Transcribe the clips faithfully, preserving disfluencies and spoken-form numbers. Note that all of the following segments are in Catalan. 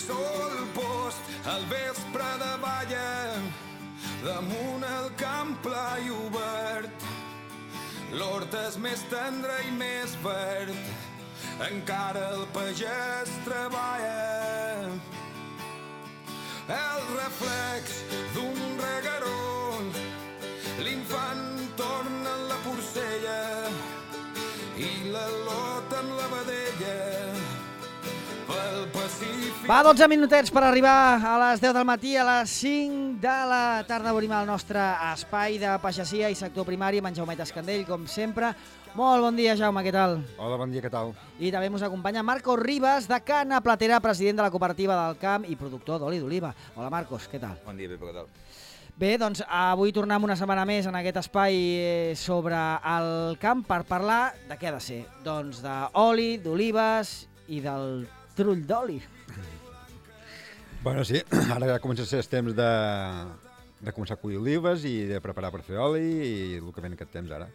sol post al vespre de balla damunt el camp pla i obert. L'hort és més tendre i més verd, encara el pagès treballa. El reflex d'un regueró, l'infant torna en la porcella i la lota en la vedella. Pel Pacífic... Va, dotze minutets per arribar a les deu del matí, a les cinc de la tarda obrim el nostre espai de pagesia i sector primari amb en Jaumet Escandell, com sempre. Molt bon dia, Jaume, què tal? Hola, bon dia, què tal? I també ens acompanya Marcos Ribas, de Cana Platera, president de la cooperativa del camp i productor d'oli d'oliva. Hola, Marcos, què tal? Bon dia, Pepe, què tal? Bé, doncs avui tornem una setmana més en aquest espai sobre el camp per parlar de què ha de ser. Doncs d'oli, d'olives i del trull d'oli. Bueno, sí, ara ja comença a ser el temps de, de començar a collir olives i de preparar per fer oli i el que ven aquest temps ara.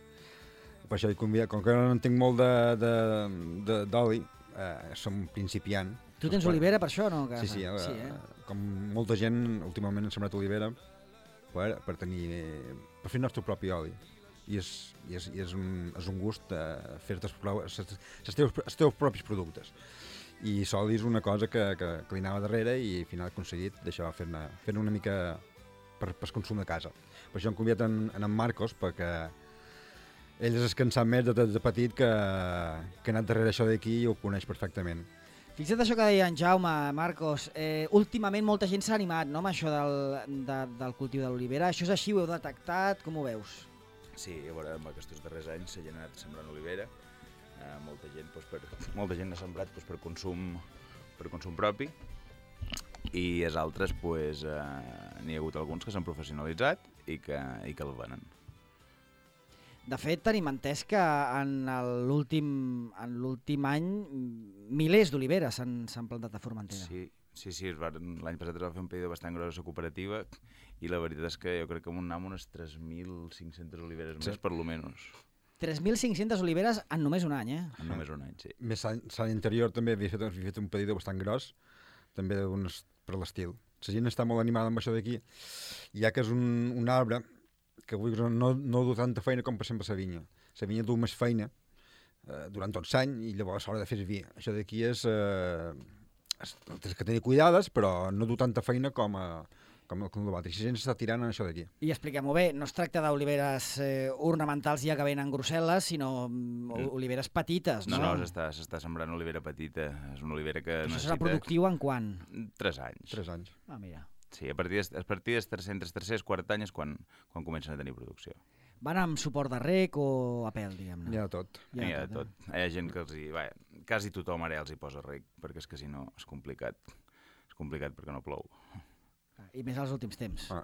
Per això, com que no en tinc molt d'oli, eh, som principiant. Tu tens olivera per això, no? Sí, sí, sí eh? Com molta gent últimament han sembrat olivera per, per tenir, per fer el nostre propi oli. I és, i és, i és, un, és un gust eh, fer-te els, els, teus, els teus propis productes. I l'oli és una cosa que, que, que li anava darrere i al final he aconseguit d'això, fer-ne fer una mica per, per consum de casa. Per això hem convidat en, en, en Marcos, perquè ell és el que en sap més de, de, de petit que, que ha anat darrere això d'aquí i ho coneix perfectament. Fixa't això que deia en Jaume, Marcos, eh, últimament molta gent s'ha animat, no?, amb això del, de, del cultiu de l'olivera. Això és així, ho heu detectat, com ho veus? Sí, a veure, en aquests darrers anys s'ha anat sembrant olivera. Eh, molta gent, doncs, per, molta gent ha sembrat doncs, per, consum, per consum propi i els altres doncs, eh, n'hi ha hagut alguns que s'han professionalitzat i que, i que el venen. De fet, tenim entès que en l'últim any milers d'oliveres s'han plantat a Formentera. Sí, sí, sí l'any passat es va fer un pedido bastant gros a la cooperativa i la veritat és que jo crec que en un any unes tres mil cinc-centes oliveres més, sí. Per lo menos. tres mil cinc-centes oliveres en només un any, eh? En només un any, sí. Més l'any anterior també havia fet, havia fet un pedido bastant gros, també unes, per l'estil. La gent està molt animada amb això d'aquí, ja que és un, un arbre que vull dir, no, no du tanta feina com per exemple la vinya. La vinya du més feina eh, durant tot l'any i llavors s'haurà de fer vi. Això d'aquí és... Eh, és tens que tenir cuidades, però no du tanta feina com a... com el l'altre. Si la gent s'està tirant en això d'aquí. I expliquem-ho bé, no es tracta d'oliveres eh, ornamentals ja que venen grosses, sinó mm. oliveres petites, no? No, no, s'està sembrant olivera petita. És una olivera que Això necessita... serà productiu en quan? Tres anys. Tres anys. Ah, mira. Sí, a partir de, a partir dels tres-cents, tercers, quart any és quan, quan comencen a tenir producció. Van amb suport de rec o a pèl, diguem-ne? Hi ha de tot. Hi ha, Hi ha de tot. Eh? Hi ha gent que els hi... Vaja, quasi tothom ara els hi posa rec, perquè és que si no és complicat. És complicat perquè no plou. I més als últims temps. Ah.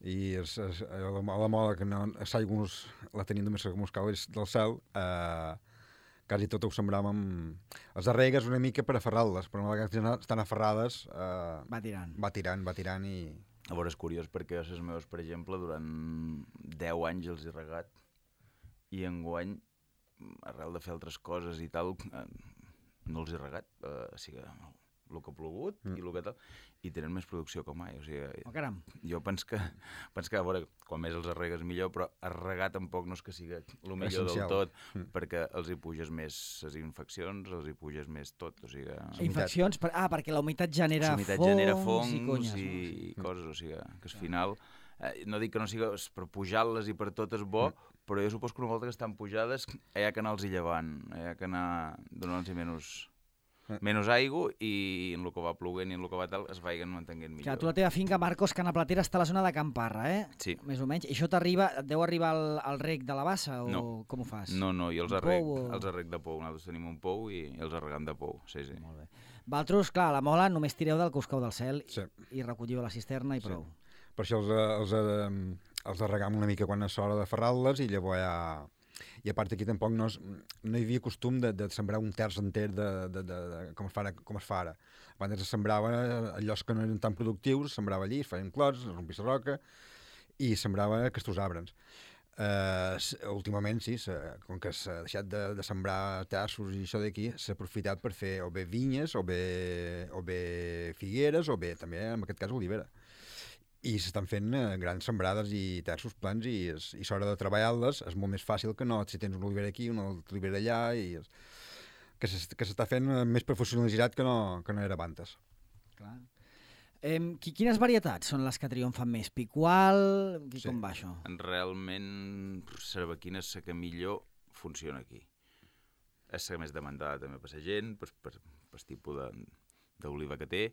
I és, és, a la, la moda que no, l'aigua la tenim només com els caus del cel, eh, quasi tot ho sembràvem... Les arregues una mica per aferrar-les, però una vegada estan aferrades... Eh, va tirant. Va tirant, va tirant i... A veure, és curiós perquè els meus, per exemple, durant deu anys els he regat i enguany, arrel de fer altres coses i tal, eh, no els he regat. Eh, o sigui, el que ha plogut mm. i el que tal, i tenen més producció que mai. O sigui, oh, caram. Jo penso que, penso que, a veure, quan més els arregues millor, però arregar tampoc no és que sigui el millor essencial. Del tot, mm. perquè els hi puges més les infeccions, els hi puges més tot. O sigui, infeccions? Per, ah, perquè la humitat genera fongs, genera fongs i conyes. I, no? i coses, o sigui, que al final, eh, no dic que no sigui per pujar-les i per tot és bo, mm. però jo suposo que una volta que estan pujades hi ha que anar-los llevant, hi ha que anar donant-los menys... menys aigua i en el que va ploguent i en el que va tal es vagin mantenint millor. Clar, tu la teva finca, Marcos, Cana Platera, està a la zona de Camparra, eh? Sí. Més o menys. I això t'arriba, et deu arribar al, al rec de la bassa o no. Com ho fas? No, no, jo els arrec, o... els arrec de pou. Nosaltres tenim un pou i els arregam de pou, sí, sí. Molt bé. Vosaltres, clar, a la mola només tireu del que us cau del cel sí. i recolliu a la cisterna i prou. Sí. Per això els, els, els, els arregam una mica quan és hora de ferrar-les i llavors ja... I a part aquí tampoc no, es, no hi havia costum de, de sembrar un terç enter de, de, de, de, com, es fa ara, com es fa ara. Abans es sembrava a llocs que no eren tan productius, es sembrava allí, es feien clots, es rompís la roca i sembrava aquests arbres. Uh, últimament, sí, com que s'ha deixat de, de sembrar terços i això d'aquí, s'ha aprofitat per fer o bé vinyes, o bé, o bé figueres, o bé també, en aquest cas, olivera. I s'estan fent uh, grans sembrades i terços plans i, és, i s'hora de treballar-les és molt més fàcil que no si tens una olivera aquí, una olivera allà, i és, que s'està fent uh, més professionalitzat que no, que no era abans. Clar. Eh, quines varietats són les que triomfen més? Picual? Sí. Com va això? Realment, cervequina és la que millor funciona aquí. És la més demandada també per la gent, per, per, per el tipus d'oliva que té,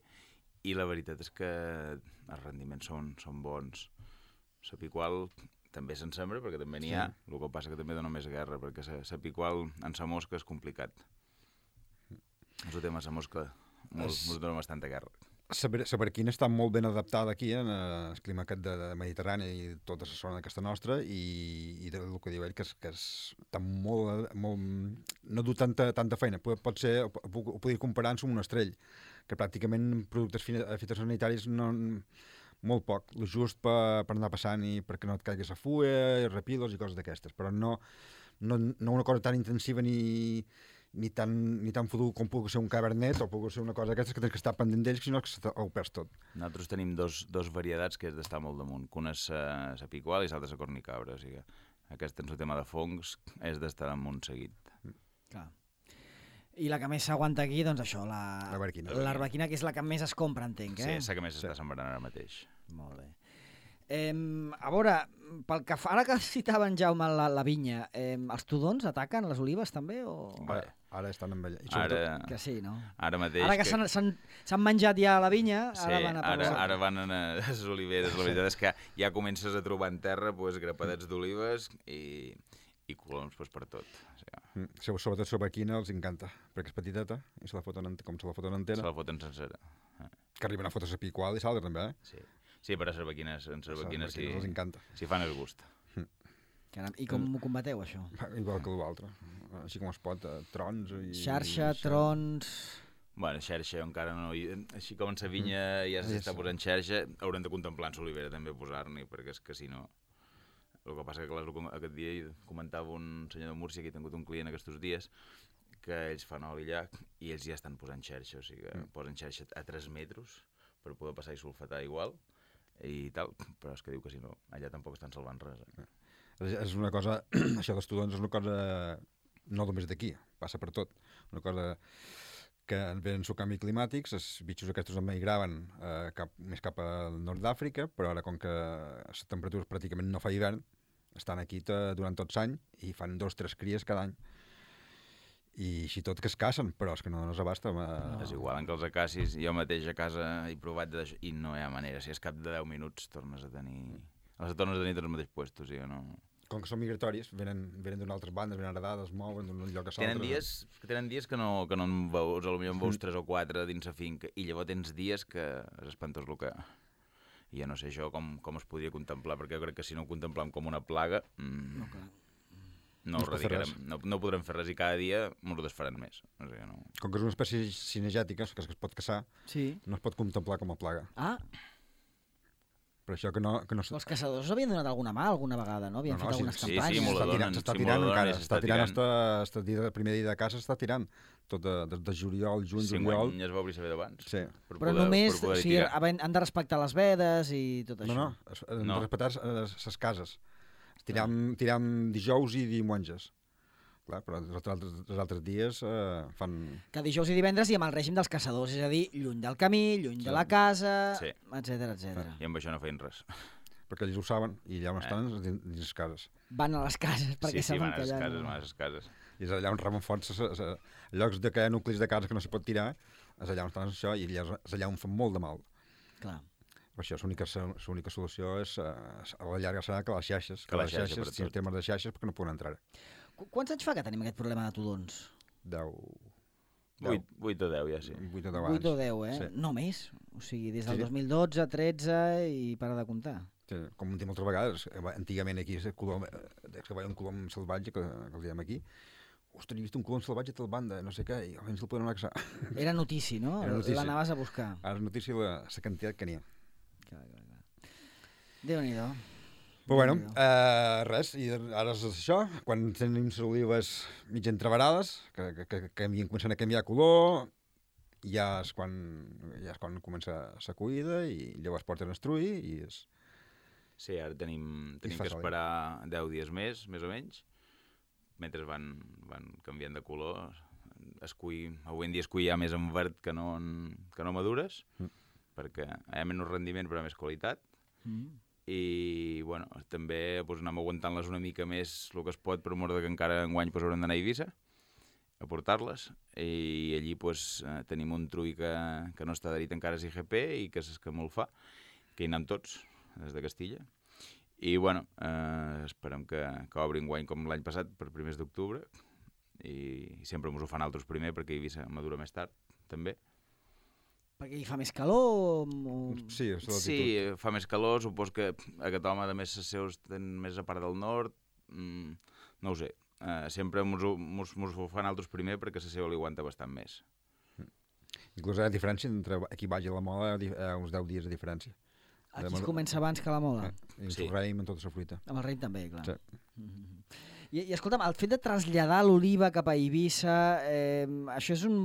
i la veritat és que els rendiments són, són bons. La picual també se'n sembra, perquè també n'hi ha, sí. El que passa que també dona més guerra, perquè la picual en la mosca és complicat. El tema de la mosca ens es... dona bastanta guerra. La barquina està molt ben adaptada aquí en el clima aquest de, de Mediterrani i tota la zona d'aquesta nostra i, i el que diu ell que, és, que és, està molt, molt... no du tanta, tanta feina. Pot, pot ser, ho, ho podria comparar amb un estrell, que pràcticament productes fitosanitaris no, molt poc, el just per, per anar passant i perquè no et caiguis a fulla, repilos i coses d'aquestes, però no, no, no una cosa tan intensiva ni... ni tan, ni tan fotut com pugui ser un cabernet o pugui ser una cosa d'aquestes que tens que estar pendent d'ells, sinó que ho perds tot. Nosaltres tenim dos, dos varietats que és d'estar molt damunt, que una és la picual i l'altra és la cornicabra, o sigui aquest en el tema de fongs és d'estar damunt seguit. Clar. I la que més s'aguanta aquí, doncs això, la l'arbequina, l'arbequina, que és la que més es compra, entenc, eh? Sí, és la que més s'està sembrant ara mateix. Molt bé. Eh, a veure, pel que fa, ara que citaven, Jaume, la, la vinya, eh, els tudons ataquen les olives també? O... Ara, ara estan amb ella. Ara, que sí, no? Ara mateix... Ara que, que... s'han menjat ja la vinya, sí, ara van a ara, ara van a les oliveres. La veritat és que ja comences a trobar en terra pues, grapadets d'olives i, i coloms pues, per tot. O sigui, mm, sobretot l'arbequina els encanta, perquè és petiteta i se la foten, com se la foten entera. Se la foten sencera. Que arriben a fotre la picual i s'altre també, eh? Sí. Sí, però a cervequines, en cervequines sí, els encanta. Si fan el gust. Caram, i com ho combateu, això? Igual que l'altre. Així com es pot, eh, trons i... Xarxa, i trons... Bueno, xarxa encara no... Així com en sa vinya ja s'està posant xarxa, haurem de contemplar en l'olivera també posar-n'hi, perquè és que si no... El que passa que clar, aquest dia comentava un senyor de Múrcia que he tingut un client aquests dies que ells fan oli allà i ells ja estan posant xarxa, o sigui que mm. posen xarxa a tres metres per poder passar i sulfatar igual i tal, però és que diu que si no, allà tampoc estan salvant res. Eh? És una cosa, això dels tudons és una cosa no només d'aquí, passa per tot. Una cosa que venen el canvi climàtics, els bitxos aquests emigraven eh, cap, més cap al nord d'Àfrica, però ara com que les temperatures pràcticament no fa hivern, estan aquí durant tot l'any i fan dos o tres cries cada any. I així tot que es casen, però és que no, no s'abasta. Ma... No. És igual, en que els acacis, jo mateix a casa he provat d'això, i no hi ha manera, si és cap de deu minuts tornes a tenir... Les tornes a tenir tots els mateixos puestos, o sigui, no... Com que són migratoris, venen, venen d'una altres bandes, venen heredades, es mouen d'un lloc a l'altre. Tenen dies, tenen dies que no, que no en veus, potser en veus tres o quatre dins la finca, i llavors tens dies que és espantós el que... I ja no sé això com, com es podia contemplar, perquè jo crec que si no ho contemplem com una plaga... Mmm... No, clar. No, no, no, no podrem fer res i cada dia ens ho desfaran més. O sigui, no... Com que és una espècie cinegètica, que es pot caçar, sí. No es pot contemplar com a plaga. Ah. Per això que no... Que no... Els caçadors havien donat alguna mà alguna vegada, no? Havien no, no, fet algunes sí, campanyes. Sí, sí, s'està tirant, s'està sí, tirant encara. S'està tirant, tirant. Hasta, hasta el primer dia de caça s'està tirant. Tot de, de, de juliol, juny, sí, juliol... Sí, ja es va obrir saber d'abans. Sí. Per Però poder, només per o sigui, han de respectar les vedes i tot això. No, no, han no. de respectar les cases. Tiram, tiram dijous i diumenges. Clar, però els altres, els altres dies eh, fan... Que dijous i divendres i amb el règim dels caçadors, és a dir, lluny del camí, lluny sí. de la casa, sí. etcètera, etcètera. I amb això no feien res. Perquè ells ho saben i allà on eh. estan dins, dins les cases. Van a les cases perquè sí, sí, saben que allà... Sí, sí, van a les cases, no... van a les cases. I és allà on remen forts, llocs de que hi ha nuclis de cases que no s'hi pot tirar, és allà on estan això i allà, és allà on fan molt de mal. Clar. Per això l'única solució és, a la llarga serà que les xarxes, que, que les xarxes, xarxes si el tema de xarxes, perquè no poden entrar. Quants anys fa que tenim aquest problema de tudons? Deu. Vuit, vuit o deu, ja sí. Vuit o deu anys. Vuit o deu, eh? Sí. No més. O sigui, des del sí. dos mil dotze, tretze i para de comptar. Sí, com hem dit moltes vegades, antigament aquí és colom, que veia un colom salvatge, que, que el diem aquí, ostres, he vist un colom salvatge a tal banda, no sé què, i almenys el podem anar a caçar. Era notícia, no? L'anaves a buscar. Ara és notícia la, la quantitat que n'hi ha. Clar, clar, clar. Déu-n'hi-do. Però bueno, uh, res, i ara és això, quan tenim les olives mig entreverades, que, que, que, que comencen a canviar color, ja és quan, ja és quan comença la cuida i llavors porten a estruir i és... Sí, ara tenim, tenim que esperar deu dies més, més o menys, mentre van, van canviant de color. Es cull, avui en dia es cull ja més en verd que no, en, que no madures, mm. perquè hi ha menys rendiment però més qualitat. Mm. I bueno, també doncs, anem aguantant-les una mica més el que es pot, per mort que encara enguany doncs, haurem d'anar a Eivissa a portar-les, i allí doncs, tenim un trull que, que no està adherit encara a I G P i que és que molt fa, que hi anem tots, des de Castilla. I bueno, eh, esperem que, que obri enguany com l'any passat, per primers d'octubre, i sempre ens ho fan altres primer perquè Eivissa madura més tard, també. Perquè hi fa més calor? O... Sí, sí, fa més calor, supos que aquest home, a més, els seus tenen més a part del nord, mm, no ho sé. Uh, sempre ens ho fan altres primer perquè la seva li aguanta bastant més. Mm. Inclús hi ha diferència entre aquí baix i la Mola, uh, uns deu dies de diferència. Aquí es comença abans que la Mola? Eh, I sí. El raïm amb tota la fruita. Amb el raïm també, clar. Sí. Mm-hmm. I, I escolta'm, el fet de traslladar l'oliva cap a Eivissa, eh, això és un...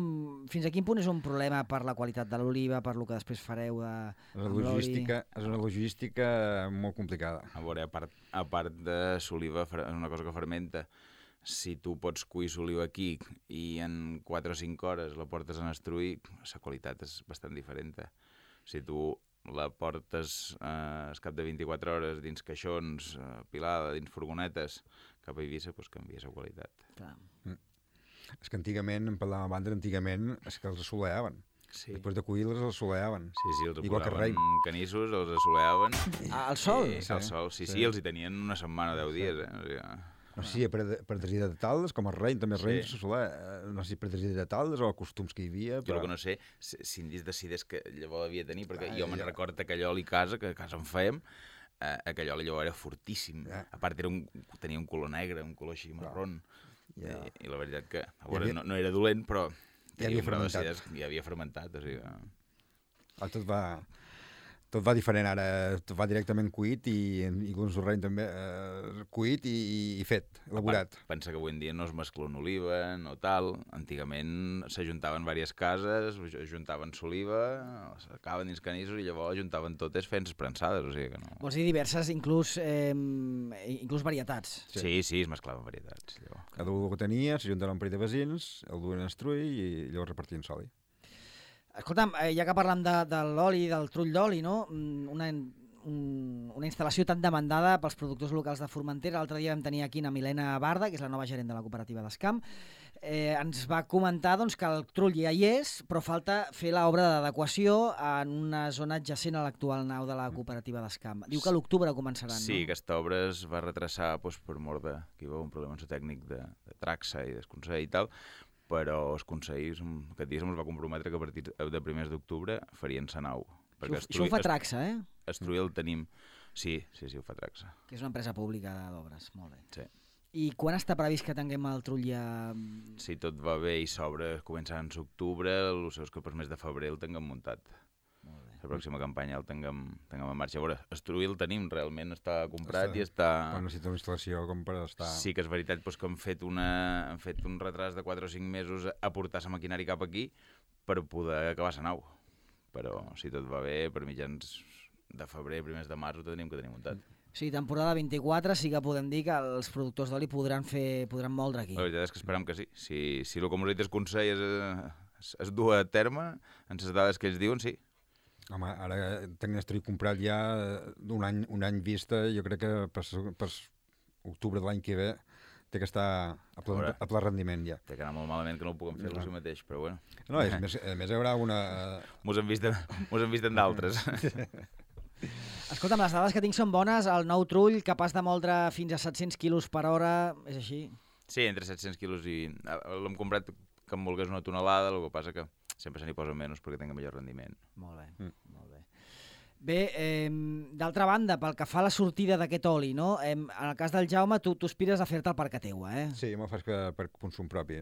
Fins a quin punt és un problema per la qualitat de l'oliva, per lo que després fareu de, amb l'oli? És una logística molt complicada. A veure, a part, a part de l'oliva, és una cosa que fermenta. Si tu pots cuir l'oliva aquí i en quatre o cinc hores la portes a estruir, la qualitat és bastant diferent. Si tu la portes eh, al cap de vint-i-quatre hores dins caixons, eh, pilada, dins furgonetes, cap a Eivissa, doncs canvia la qualitat. Clar. Mm. És que antigament, en parlàvem abans, antigament és que els assoleaven. Sí. Després de cuir-les els assoleaven. Sí, sí, els igual posaven canissos, els assoleaven. Ah, al sol? I, sí. Al sol, sí, sí, sí, els hi tenien una setmana, deu dies. Eh? O sigui, no sé si per, per desideratar-les, com el rei, també el rei sí. s'assolea, no sé si per desideratar-les o costums que hi havia. Però... Jo el que no sé, si en decidés que llavors devia tenir, perquè ah, jo me'n ja. recordo que allò a casa, que a casa en fèiem, eh, aquell oli llavors era fortíssim. Ja. A part era un, tenia un color negre, un color així marrón. Ja. I, I la veritat que, a veure, havia... no, no era dolent, però ja havia fermentat. Ja havia fermentat, o sigui... Ah, tot va... Tot va diferent ara, tot va directament cuit i, i un sorreny també eh, cuit i, i fet, elaborat. Part, pensa que avui en dia no es mescla una oliva, no tal. Antigament s'ajuntaven diverses cases, ajuntaven l'oliva, s'acaben dins canissos i llavors ajuntaven totes fent prensades, o sigui que no... Vols dir diverses, inclús, eh, inclús varietats? Sí, sí, sí es mesclaven varietats. Llavors. Cada un que tenia, s'ajuntaven un parell de vecins, el duen a estruir i llavors repartien l'oli. Escolta'm, ja que parlem de, de l'oli, del trull d'oli, no? Una, un, una instal·lació tan demandada pels productors locals de Formentera. L'altre dia vam tenir aquí a Milena Barda, que és la nova gerent de la cooperativa d'Escamp. Eh, ens va comentar doncs, que el trull ja hi és, però falta fer l'obra d'adequació en una zona adjacent a l'actual nau de la cooperativa d'Escamp. Diu que a l'octubre començaran, sí, no? Sí, aquesta obra es va retrasar doncs, per mort de... que hi va un problema tècnic de, de traxa i d'esconsell i tal, però els consells, aquest dia se'ns va comprometre que a partir de primers d'octubre farien la nau. Això, això ho fa Traxa, eh? Estruir el tenim... Sí, sí, sí, ho fa Traxa. Que és una empresa pública d'obres, molt bé. Sí. I quan està previst que tinguem el trull ja... Si tot va bé i s'obre començant en octubre, el seu és que per mes de febrer el tinguem muntat. Molt bé. La pròxima campanya el tinguem, tinguem en marxa. A veure, estruir el tenim, realment està comprat està, i està... Però necessita una instal·lació com per estar... Sí que és veritat doncs, que han fet, una, han fet un retras de quatre o cinc mesos a portar la maquinària cap aquí per poder acabar la nau. Però si tot va bé, per mitjans de febrer, primers de març, ho tenim que tenir muntat. Sí, temporada vint-i-quatre sí que podem dir que els productors d'oli podran fer, podran moldre aquí. La veritat és que esperem que sí. Si, si el que ens ha dit el Consell es, es, es du a terme, en les dades que ells diuen, sí. Home, ara tenim estruït comprat ja un any, un any vista, jo crec que per, per octubre de l'any que ve té que estar a ple, a ple rendiment ja. Té que anar molt malament que no ho puguem fer no. el mateix, però bueno. No, és, més, a més hi haurà una... Mos hem vist, mos hem vist en d'altres. Escolta'm, les dades que tinc són bones, el nou trull capaç de moldre fins a set-cents quilos per hora, és així? Sí, entre set-cents quilos i... L'hem comprat que em volgués una tonelada, el que passa que sempre se n'hi posa menys perquè tingui millor rendiment. Molt bé, mm. molt bé. Bé, eh, d'altra banda, pel que fa a la sortida d'aquest oli, no? Eh, en el cas del Jaume, tu, tu aspires a fer-te el parc a teua, eh? Sí, jo me'l faig que per consum propi.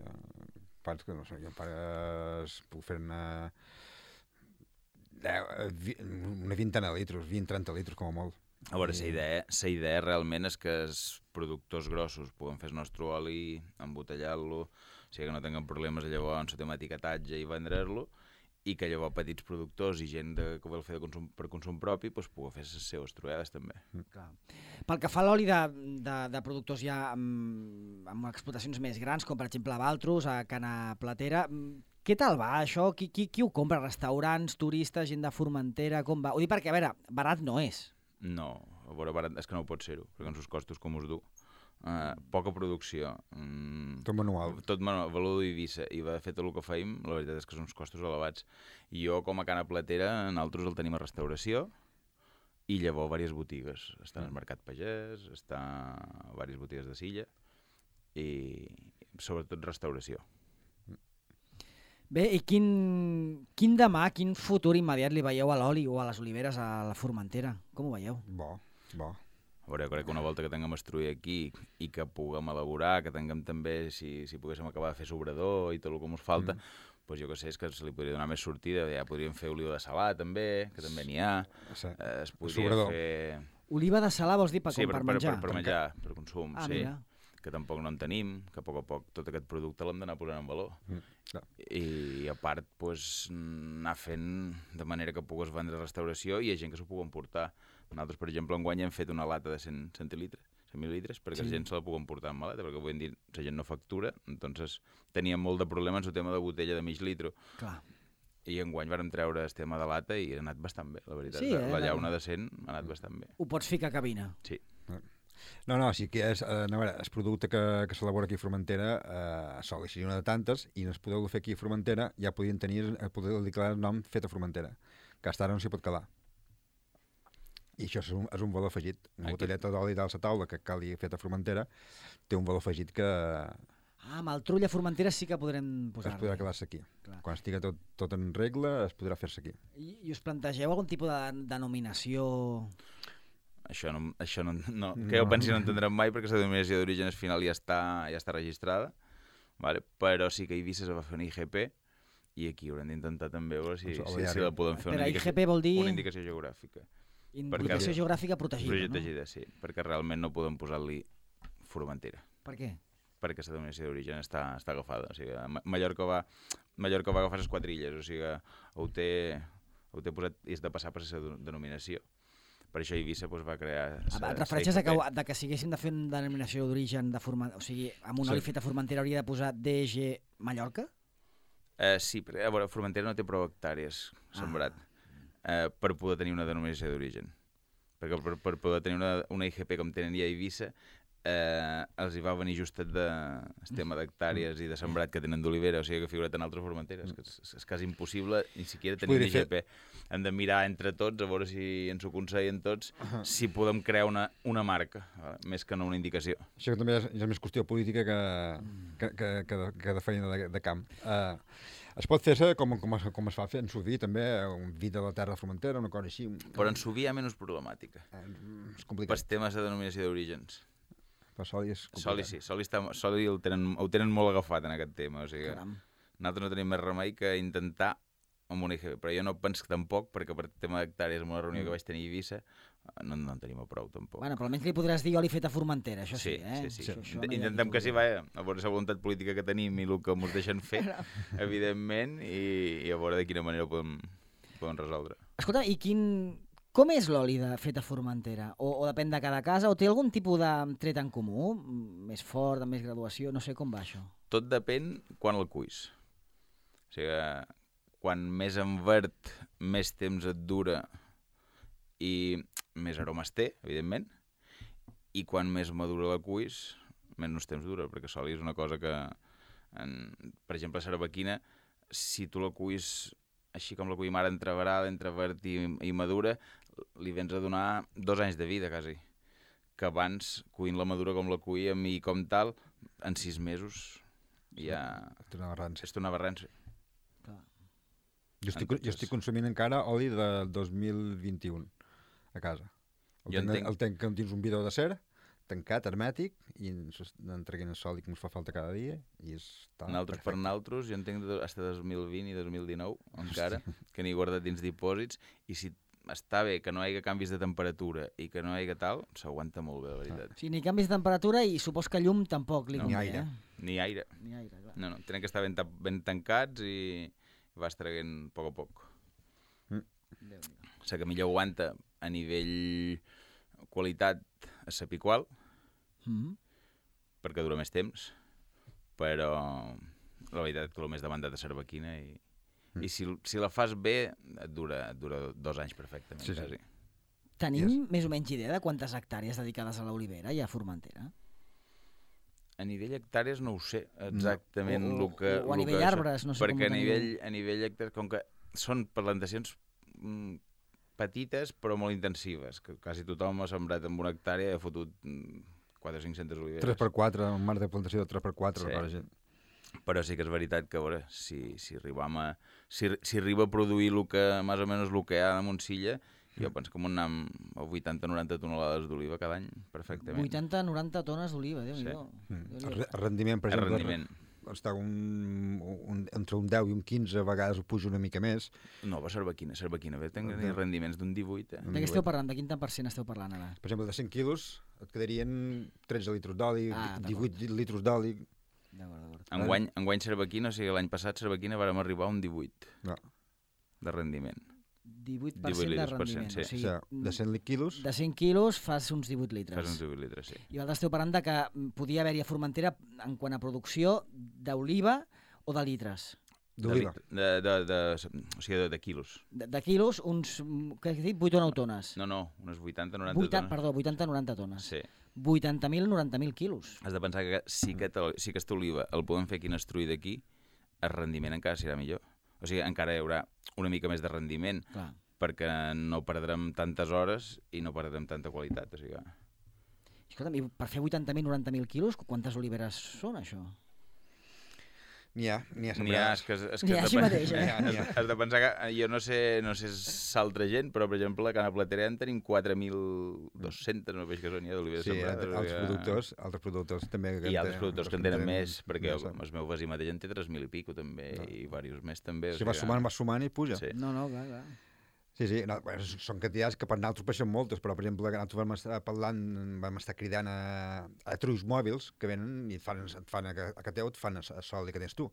Parts que, no sé, jo pares, puc fer-ne una vintena de litres, vint trenta litres com a molt. A veure, la idea, la idea realment és que els productors grossos puguin fer el nostre oli, embotellar-lo, o sigui que no tinguem problemes llavors amb etiquetatge i vendre-lo, i que llavors petits productors i gent de, que vol fer de consum, per consum propi doncs, pugui fer les seves trobades també. Clar. Pel que fa a l'oli de, de, de productors ja amb, amb explotacions més grans, com per exemple a Valtros, a Cana Platera, què tal va això? Qui, qui, qui ho compra? Restaurants, turistes, gent de Formentera? Com va? Ho dic perquè, a veure, barat no és. No, a veure, barat és que no pot ser-ho, perquè amb els costos com us du. Uh, poca producció. Mm, tot manual. Tot manual, valor d'Eivissa, i de fet el que feim, la veritat és que són uns costos elevats. I jo, com a Cana Platera, nosaltres el tenim a restauració, i llavors diverses botigues. Està al Mercat Pagès, està a diverses botigues de Silla, i sobretot restauració. Bé, i quin, quin demà, quin futur immediat li veieu a l'oli o a les oliveres a la Formentera? Com ho veieu? Bo, bo. A veure, crec que una volta que tinguem estruir aquí i que puguem elaborar, que tinguem també, si, si poguéssim acabar de fer sobrador i tot el que ens falta, mm. doncs jo que sé, és que se li podria donar més sortida. Ja podríem fer oliva de salar també, que també n'hi ha. Sí. Eh, es podria sobrador. fer... Oliva de salar vols dir per, sí, com, per, per menjar? Per, per menjar, per consum, ah, sí. Mira. Que tampoc no en tenim, que a poc a poc tot aquest producte l'hem d'anar posant en valor. Mm. No. I, i a part, doncs, anar fent de manera que pugues vendre a restauració i hi ha gent que s'ho pugui portar. Nosaltres, per exemple, enguany hem fet una lata de cent centilitres, cent mil·lilitres, perquè sí. La gent se la pugui portar en maleta, perquè vull dir, la gent no factura, entonces teníem molt de problema en el tema de botella de mig litro. Clar. I enguany vàrem treure el tema de lata i ha anat bastant bé, la veritat. Sí, eh? La llauna de cent ha anat bastant bé. Ho pots ficar a cabina. Sí. No, no, sí que és, eh, no, veure, el producte que, que s'elabora aquí a Formentera eh, sol així una de tantes, i no es podeu fer aquí a Formentera, ja podien tenir, podeu declarar el nom fet a Formentera, que hasta ara no s'hi pot quedar. I això és un, és un valor afegit. Una aquí. botelleta d'oli dalt la taula que cali fet a Formentera té un valor afegit que Ah, amb el trull a Formentera sí que podrem posar-lo. es podrà quedar-se aquí. Clar. Quan estigui tot, tot en regla, es podrà fer-se aquí. I, I us plantegeu algun tipus de denominació? Això no, això no, no, que jo pensi no entendrem mai perquè la denominació d'origen final ja està, ja està registrada, vale? Però sí que a Eivissa es va fer una I G P i aquí haurem d'intentar també veure si, Doncs si, si la podem fer Per una I G P vol dir una indicació geogràfica. indicació perquè- geogràfica protegida, Protegida, sí, perquè realment no podem posar-li Formentera, no? Per què? perquè la denominació d'origen està, està agafada. O sigui, Ma- Mallorca va, Mallorca va agafar les quatre illes, o sigui, ho té, ho té posat i és de passar per la denominació. Per això Eivissa doncs, va crear... sa- Et refereixes sa a que, I G P. de que si haguéssim de fer una denominació d'origen de Formentera, o sigui, amb un Sí. oli fet a Formentera hauria de posar D G Mallorca? Eh, sí, però a veure, Formentera no té prou hectàrees sembrat eh, per poder tenir una denominació d'origen. Perquè per, per poder tenir una, una I G P com tenen ja a Eivissa, eh, els hi va venir justet de, el tema d'hectàrees i de sembrat que tenen d'olivera, o sigui que figura't en altres Formenteres, que és, és quasi impossible ni siquiera tenir una podria I G P. Hem de mirar entre tots, a veure si ens ho aconsellen tots, si podem crear una, una marca, vale? Més que no una indicació. Això també és, és més qüestió política que, que, que, que, de, que de feina de, de camp. Uh, es pot fer-se com, com, es, com es fa fer en Suví, també, un vi de la terra de Formentera, una cosa així. Però en Suví hi ha menys problemàtica. Eh, és Per complicat. temes de denominació d'orígens. Per Soli és complicat. Soli sí, Soli, està, Soli el tenen, ho tenen molt agafat en aquest tema, o sigui, Caram. nosaltres no tenim més remei que intentar amb una I G P, però jo no penso que tampoc, perquè per tema d'hectàrees en una reunió que vaig tenir a Eivissa, no, no en tenim a prou tampoc. Bueno, però almenys li podràs dir oli fet a Formentera, això sí, sí, eh? sí, sí. Això, això no hi ha Intentem ni que sí, dubte. vaja, a veure la voluntat política que tenim i el que ens deixen fer, evidentment, i, i a veure de quina manera ho podem, podem resoldre. Escolta, i quin... com és l'oli de fet a Formentera? O, o depèn de cada casa? O té algun tipus de tret en comú? M- Més fort, amb més graduació? No sé com va això. Tot depèn quan el cuis. O sigui, quan més en verd, més temps et dura i més aromes té, evidentment, i quan més madura la cuis, menys temps dura, perquè l'oli és una cosa que, en, per exemple, la cervequina, si tu la cuis així com la cuim ara entre veral, entre verd i, i madura, li vens a donar dos anys de vida, quasi. Que abans, cuint la madura com la cuíem i com tal, en sis mesos ja És una barrança. és una barrança. Clar. Jo estic, Entonces- jo estic consumint encara oli del dos mil vint-i-u a casa. El Jo tenc, entenc- el tenc dins un bidó d'acer, tancat, hermètic, i en treguin el sol i que ens fa falta cada dia, i està Naltros per perfecte. naltros, jo entenc fins a dos mil vint i dos mil dinou, encara, que n'he guardat dins dipòsits, i si està bé que no hi hagi canvis de temperatura i que no hi hagi tal, s'aguanta molt bé, la veritat. O sigui, ni canvis de temperatura i supos que llum tampoc li No, convé, ni aire. eh? Ni aire. Ni aire, clar. No, no, tenen que estar ben, ta- ben tancats i vas traient a poc a poc. Déu-n'hi-do. La que millor aguanta a nivell qualitat és la Picual, Mhm. perquè dura més temps, però la veritat que el més demandat és Cervequina i, mm. i si, si la fas bé et dura, et dura dos anys perfectament. Sí, sí. Quasi. Tenim Yes. més o menys idea de quantes hectàrees dedicades a l'olivera i a Formentera? A nivell hectàrees no ho sé exactament O- o- el que... o a el nivell que això- arbres, no sé com perquè ho a teniu. nivell, a nivell hectàrees, com que són plantacions mm, petites però molt intensives, que quasi tothom ha sembrat amb una hectàrea i ha fotut mm, quatre o cinc-centes oliveres. tres per quatre, un marc de plantació de tres per quatre. Sí. Sí. Però sí que és veritat que, a veure, si, si, arribam a, si, si arriba a produir el que, més o menys el que hi ha a Montsilla, jo penso que m'ho anem a vuitanta o noranta tonelades d'oliva cada any, perfectament. vuitanta a noranta tones d'oliva, Déu-n'hi-do. Mm. Déu-n'hi-do. El re- el rendiment, per El exemple, rendiment. està un, un, entre un deu i un quinze, a vegades ho puja una mica més. No, va Cervequina, Cervequina, bé, tenc De- rendiments d'un divuit, eh? De què esteu parlant? De quin tant per cent esteu parlant ara? Per exemple, de cent quilos et quedarien tretze litres d'oli, Ah, d'acord. divuit litres d'oli. D'acord, d'acord. Enguany, enguany Cervequina, o sigui, l'any passat Cervequina vàrem arribar a un divuit No. de rendiment. divuit per cent divuit de litres per rendiment. cent, sí. O O sigui, sigui, de cent quilos, de cent quilos fas uns divuit litres. Fas uns divuit litres, sí. I vosaltres esteu parlant de que podia haver-hi a Formentera, en quant a producció, d'oliva o de litres. d'oliva. De, de, de, de, o sigui, de, de quilos. De, de quilos, uns, mm, què has dit, vuit o nou tones. No, no, unes vuitanta noranta vuitanta, tones. perdó, vuitanta a noranta tones. Sí. vuitanta mil, noranta mil quilos. Has de pensar que si, aquest, si aquesta oliva el podem fer aquí en estruir d'aquí, el rendiment encara serà millor. O sigui, encara hi haurà una mica més de rendiment, Clar. perquè no perdrem tantes hores i no perdrem tanta qualitat. O sigui, Escolta'm, i per fer vuitanta mil, noranta mil quilos, quantes oliveres són, això? N'hi ha, n'hi ha. n'hi ha, és que, és que N'hi ha has així de pen- mateix, eh? N'hi ha. Has de pensar que jo no sé, no sé s'altra gent, però per exemple a Cana Platera en tenim quatre mil dos-cents, no veig que són ja d'oliveres Sí, sembrades. altres, o altres sigui, productors, altres productors també. que I en altres tenen- productors que en que tenen més, perquè ja el, sap. el meu veí mateix en té tres mil i pico també, No. i diversos més també. o Si vas sigui, sumant, vas sumant i puja. Sí. No, no, clar, clar. Sí, sí, no, bueno, són quantitats que per nosaltres peixen moltes, però per exemple que nosaltres vam estar parlant, vam estar cridant a, a trulls mòbils que venen i et fan, et fan a, a que teu, et fan a, a sol que tens tu.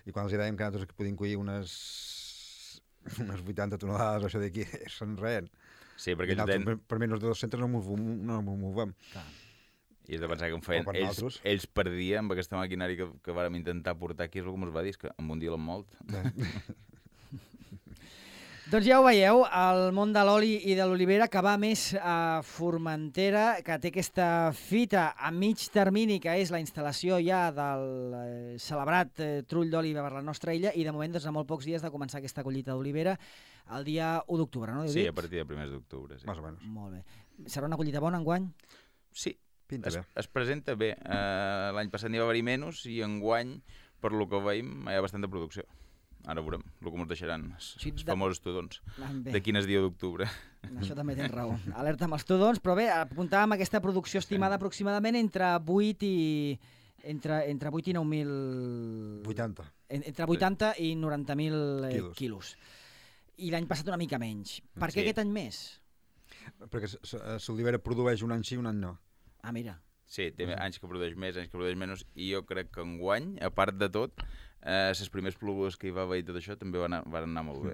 I quan els dèiem que nosaltres podíem collir unes, unes vuitanta tonelades o això d'aquí, se'n reien. Sí, I perquè ells nosaltres, ten... per, per menys de dos-cents no m'ho no m'ho movem. clar. I has de pensar que em feien... O per Ells, nosaltres. ells perdien amb aquesta maquinària que, que vàrem intentar portar aquí, és el que ens va dir, és que en un dia l'han molt. Doncs ja ho veieu, el món de l'oli i de l'olivera que va més a Formentera, que té aquesta fita a mig termini, que és la instal·lació ja del eh, celebrat eh, trull d'oli per la nostra illa, i de moment doncs, a molt pocs dies de començar aquesta collita d'olivera el dia u d'octubre, no? Sí, a partir de primers d'octubre, sí. Més o menys. Molt bé. Serà una collita bona enguany? Sí, Pinta es, bé. es presenta bé. Uh, L'any passat n'hi va haver-hi menys i enguany, per lo que veiem, hi ha bastanta producció. Ara veurem el que ens deixaran els, Sí, els de- famosos tudons. Ah, bé. De quin és dia d'octubre. Això també tens raó. Alerta amb els tudons, però bé, apuntàvem aquesta producció estimada aproximadament entre vuit i... entre, entre vuit i nou mil... vuitanta. En- Entre vuitanta i noranta mil eh, Quilos. quilos. I l'any passat una mica menys. Per què Sí. aquest any més? Perquè s- s- l'olivera produeix un any sí, un any no. Ah, mira. Sí, té anys que produeix més, anys que produeix menys, i jo crec que enguany, a part de tot, eh, les primers plogudes que hi va haver i tot això també van anar, van anar molt bé.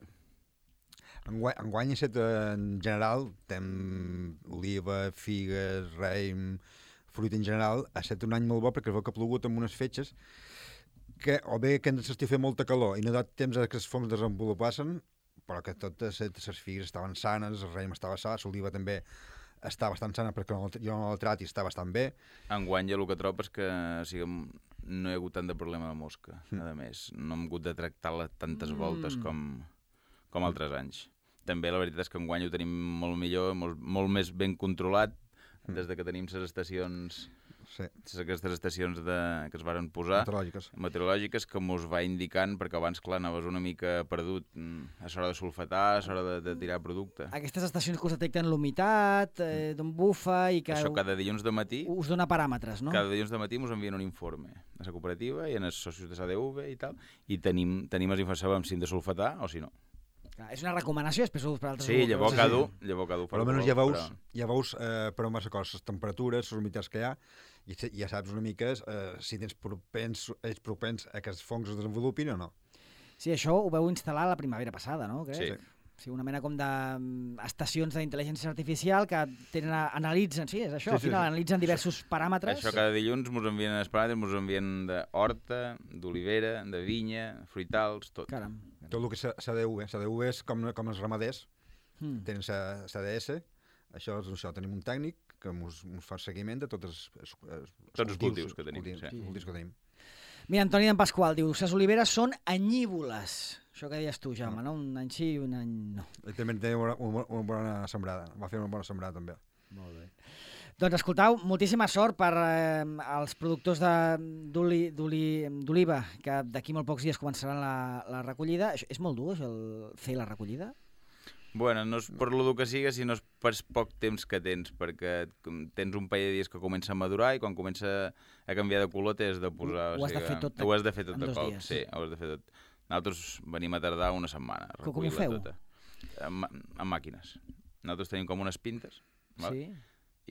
Enguany, enguany set, en general, tem oliva, figues, raïm, fruita en general, ha estat un any molt bo perquè es veu que ha plogut amb unes fetges que o bé que ens estigui fent molta calor i no ha dat temps a que els fongs desenvolupassin, però que totes les figues estaven sanes, el raïm estava sa, l'oliva també està bastant sana perquè jo no la trati, està bastant bé. Enguany jo el que trobo és que o sigui, no hi ha hagut tant de problema de mosca, mm. a més. No hem hagut de tractar-la tantes voltes Mm. com, com altres anys. També la veritat és que enguany ho tenim molt millor, molt, molt més ben controlat, Mm. des de que tenim les estacions, Sí, aquestes estacions de, que es varen posar, meteorològiques. meteorològiques, que mos va indicant, perquè abans, clar, anaves una mica perdut mm, a l'hora de sulfatar, a l'hora de, de tirar producte. Aquestes estacions que us detecten l'humitat, eh, d'on bufa i que Això cada dilluns de matí, us dona paràmetres, no? cada dilluns de matí ens envien un informe a la cooperativa i en els socis de S A D V i tal, i tenim, tenim les informacions sabem si hem de sulfatar o si no. Clar, és una recomanació, després ho per altres... Sí, llavors sí, cada sí. un, llavors cada un fa Però el que almenys vol, ja veus, però- ja veus eh, per on vas a cos, les temperatures, les humitats que hi ha, i se- ja saps una mica eh, si tens propens, ets propens a que els fongs es desenvolupin o no. Sí, això ho veu instal·lar la primavera passada, no? Crec? Sí. Sí, una mena com d'estacions d'intel·ligència artificial que tenen, analitzen, sí, és això, Sí, al sí, final sí. analitzen diversos paràmetres. Això cada dilluns mos envien els paràmetres, mos envien d'horta, d'olivera, de vinya, fruitals, tot. Caram. Tot el que és C D U, eh? C D U és com, com els ramaders, Mm. tenen C D S, això és això, tenim un tècnic que ens fa seguiment de tots els, els, els, Tots els cultius que tenim, cultius, sí. cultius que tenim. Mira, Antoni d'en Pasqual diu, les oliveres són anyívoles. Això que deies tu, Jaume, no? Un any sí i un any no. Ell també té una, una, una bona sembrada, va fer una bona sembrada també. Molt bé. Doncs escoltau, moltíssima sort per eh, als productors de- d'oli- d'oli- d'oliva, que d'aquí molt pocs dies començaran la, la recollida. Això, és molt dur, això, el, fer la recollida? Bueno, no és per lo dur que siga, sinó és per poc temps que tens, perquè com tens un parell de dies que comença a madurar i quan comença a canviar de color t'has de posar... Ho has de fer tot Ho has de fer tot en de dos cop, dies. sí, ho has de fer tot. Nosaltres venim a tardar una setmana a Com ho recollir-la feu? tota. Amb, amb màquines. Nosaltres tenim com unes pintes, val? Sí.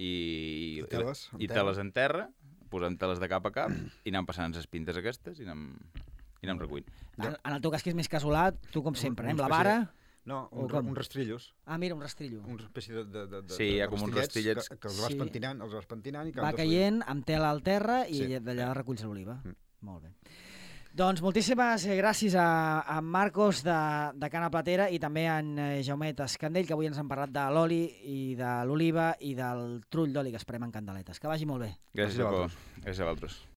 I, I teles, en i terra. teles en terra, posem teles de cap a cap i anem passant les pintes aquestes i anem, i anem recollint. En, en el teu cas, que és més casolà, tu com sempre, eh? una amb la espècie vara... de- No, O un, com? un rastrillos, Ah, mira, un rastrillo. una espècie de, de, de, de Sí, hi ha de com uns rastillets rastillets. que, que els vas Sí. pentinant, els vas pentinant i que Va els vas caient amb tela al terra i Sí. d'allà reculls l'oliva. Mm. Molt bé. Doncs moltíssimes gràcies a, a Marcos de, de Cana Platera i també a en eh, Jaumet Escandell, que avui ens han parlat de l'oli i de l'oliva i del trull d'oli que esperem en candeletes. Que vagi molt bé. Gràcies, Gràcies a Paco. vosaltres. Gràcies a vosaltres.